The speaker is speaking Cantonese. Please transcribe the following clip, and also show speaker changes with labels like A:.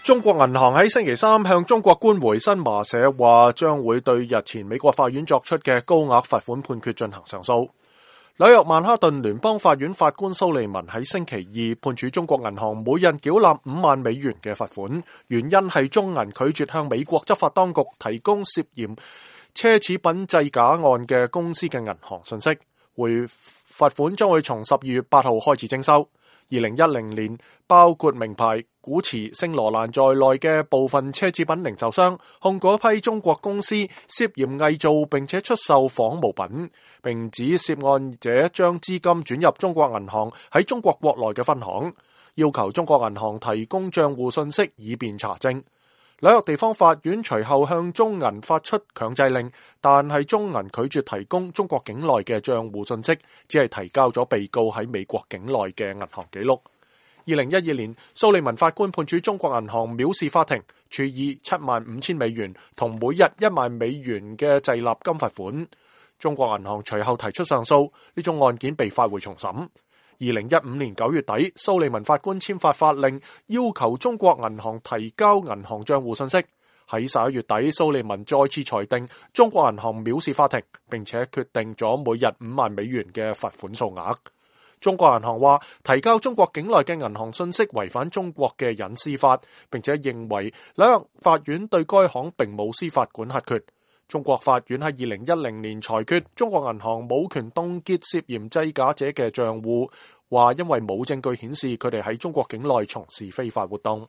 A: 中國銀行喺星期三向中國官媒新華社話，將會對日前美國法院作出嘅高額罰款判決進行上訴。紐約曼哈頓聯邦法院法官蘇利文喺星期二判處中國銀行每人繳納5萬美元嘅罰款，原因係中銀拒絕向美國執法當局提供涉嫌奢侈品製假案嘅公司嘅銀行信息。罰款將會從12月8號開始徵收。2010年，包括名牌、古馳、聖羅蘭在內嘅部分奢侈品零售商控告一批中國公司涉嫌偽造並且出售仿冒品，並指涉案者將資金轉入中國銀行喺中國國內嘅分行，要求中國銀行提供賬戶信息以便查證。紐約地方法院隨後向中銀發出強制令，但係中銀拒絕提供中國境內嘅賬戶信息，只係提交咗被告喺美國境內嘅銀行記錄。2012年，蘇利文法官判處中國銀行藐視法庭，處以75,000美元同每日1萬美元嘅滯納金罰款。中國銀行隨後提出上訴，呢種案件被發回重審。2015年9月底，蘇利文法官簽發法令，要求中國銀行提交銀行賬戶信息。喺11月底，蘇利文再次裁定中國銀行藐視法庭，並且決定咗每日5萬美元嘅罰款數額。中國銀行話，提交中國境內嘅銀行信息違反中國嘅隱私法，並且認為紐約法院對該行並冇司法管轄權。中國法院喺2010年裁決中國銀行冇權凍結涉嫌製假者嘅賬戶，話因為冇證據顯示佢哋喺中國境內從事非法活動。